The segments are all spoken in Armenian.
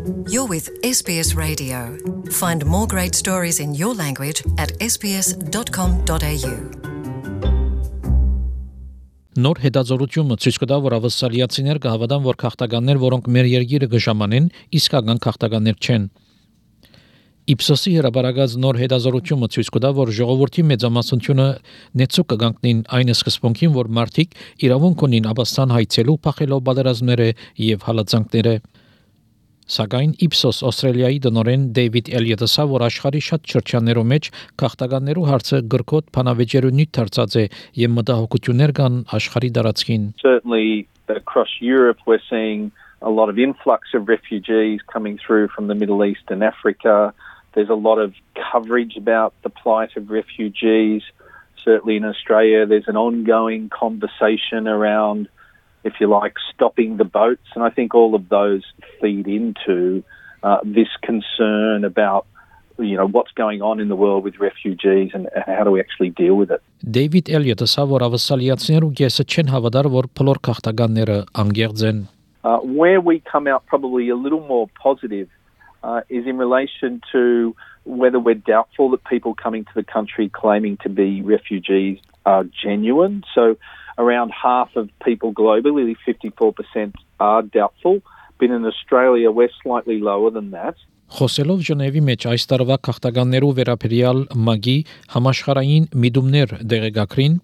You're with SBS Radio. Find more great stories in your language at sbs.com.au. Նոր հետազոտությունը ցույց կտա, որ ավստրալիացիներ կհավատան, որ քաղաքականներ, որոնք մեր երկիրը կժամանեն, իսկական քաղաքականներ չեն։ Իպսոսի հրապարակած նոր հետազոտությունը ցույց կտա, որ ժողովրդի մեծամասնությունը նեցուկ կգանքնին այն սկզբունքին, որ մարդիկ իրավունք ունին Աբաստան հայցելու, փախելով պատերազմները եւ հալածանքները։ Սակայն Իպսոս Ավստրալիայի տնօրեն Դեյվիդ Էլիոտը ասա, որ աշխարհի շատ շրջաններում մեջ քաղաքականներու հարցը գրքոտ փանավեճերունի դարձած է եւ մտահոգություններ կան աշխարհի տարածքին. Certainly across Europe we're seeing a lot of influx of refugees coming through from the Middle East and Africa. There's a lot of coverage about the plight of refugees. Certainly in Australia there's an ongoing conversation around, if you like, stopping the boats. And I think all of those feed into this concern about, what's going on in the world with refugees and how do we actually deal with it. David Elliott ասա, որ ավստրալիացիներու կեսը չեն հավատար, որ բոլոր քաղաքականները անգերձ են. Where we come out probably a little more positive is in relation to whether we're doubtful that people coming to the country claiming to be refugees are genuine. So around half of people globally, 54%, are doubtful. But in Australia, we're slightly lower than that. Խոսելով Ժնևի մեջ այս տարվա քաղաքականներու վերաբերյալ ՄԱԳ-ի համաշխարհային միտումներ դեղեկագրին,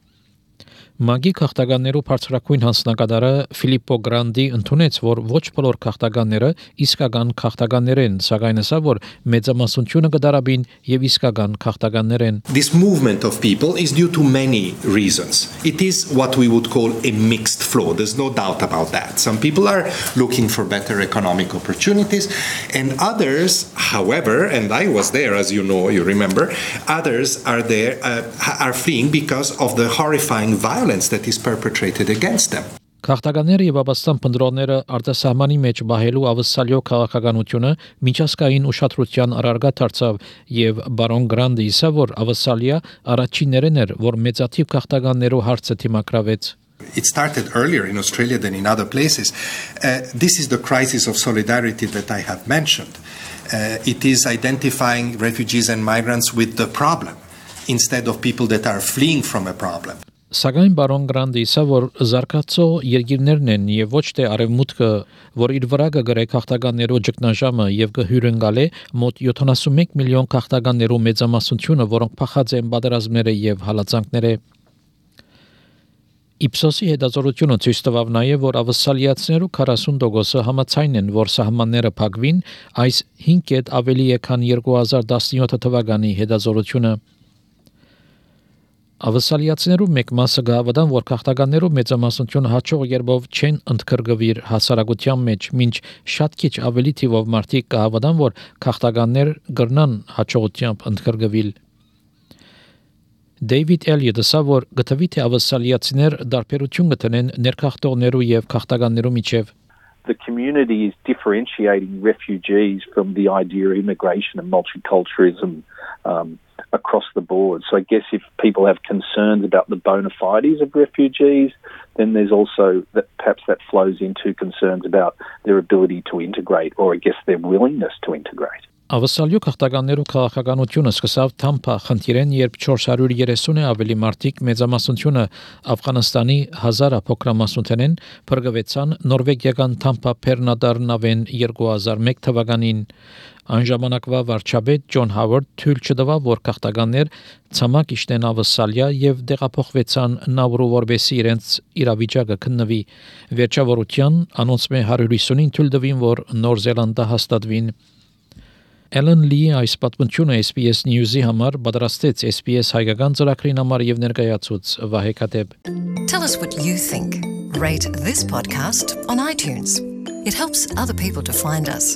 ՄԱԳ-ի քաղաքականներու բարձրակույն հանձնակատարը Ֆիլիպպո Գրանդի ընդունեց, որ ոչ բոլոր քաղաքականները իսկական քաղաքականներ են, սակայն ասա, որ մեծամասնությունը կդարաբին եւ իսկական քաղաքականներ են. This movement of people is due to many reasons. It is what we would call a mixed flow. There's no doubt about that. Some people are looking for better economic opportunities, and others, however, and I was there, as you know, you remember, others are there, are fleeing because of the horrifying violence that is perpetrated against them. Քաղաքականները եւ Աբաստան փնդրողները արտասահմանի մեջ բահելու ավստրալիո քաղաքականությունը միջազգային ուշադրության առարգա դարձավ եւ բարոն Գրանդը ասա, որ Ավստրալիա առաջիններն էր, որ մեծաթիվ քաղաքականներու հարցը թիմակրավեց. It started earlier in Australia than in other places. This is the crisis of solidarity that I have mentioned. It is identifying refugees and migrants with the problem instead of people that are fleeing from a problem. Սակայն բարոն Գրանդը ասա, որ զարգացող երկիրներն են եւ ոչ թե արևմուտքը, որ իր վրա կգրե քաղաքականներու ճգնաժամը եւ կհյուրընկալե մոտ 71 միլիոն քաղաքականներու մեծամասնությունը, որոնք փախած են պատերազմները եւ հալածանքները։ Իպսոսի հետազոտությունը ցույց տվավ նաեւ, որ ավստրալիացիներու 40%-ը համաձայն են, որ սահմանները փակվին, այս 5 ավելի է, քան 2017 թվականի հետազոտությունը։ Ավստրալիացիներու մեկ մասը գավադան, որ քաղաքականներու մեծամասնությունը հաջող երբով չեն ընդգրկվիր հասարակության մեջ, մինչ շատ քիչ ավելի թիվով մարդիկ գավադան, որ քաղաքականներ կրնան հաջողությամբ ընդգրկվել։ Դեյվիդ Էլիոտը ասա, որ գտվի թե ավստրալիացիներ դարբերություն կտնեն ներքաղթողներու եւ քաղաքականներու միջև. The community is differentiating refugees from the idea of immigration and multiculturalism across the board. So I guess if people have concerns about the bona fides of refugees, then there's also that perhaps that flows into concerns about their ability to integrate, or I guess their willingness to integrate. Ավստրալիո քաղաքականներու քաղաքականությունը սկսավ Թամփա խնդիրեն, երբ 430-ը ավելի մարդիկ մեծամասնությունը Աֆղանստանի 1000 փոքրամասնությունեն փրկվեցան նորվեգիական Թամփա Փերնադարնավեն 2001 թվականին։ Այն ժամանակվա վարչապետ Ջոն Հավարդ թույլ չտվավ, որ քաղաքականներ ցամաք իշտեն Ավստրալիա եւ դեղափոխվեցան Նաուրու, որբեսի իրենց իրավիճակը քննվի։ Վերջավորության անոնց մե 150-ին թույլ տվին, որ Նոր Զելանդա հաստատվին։ Ellen Lee այս պատմությունը SBS News-ի համար պատրաստեց SBS հայկական ծրագրին համար եւ ներկայացուց Վահե Քաթեբ. Tell us what you think. Rate this podcast on iTunes. It helps other people to find us.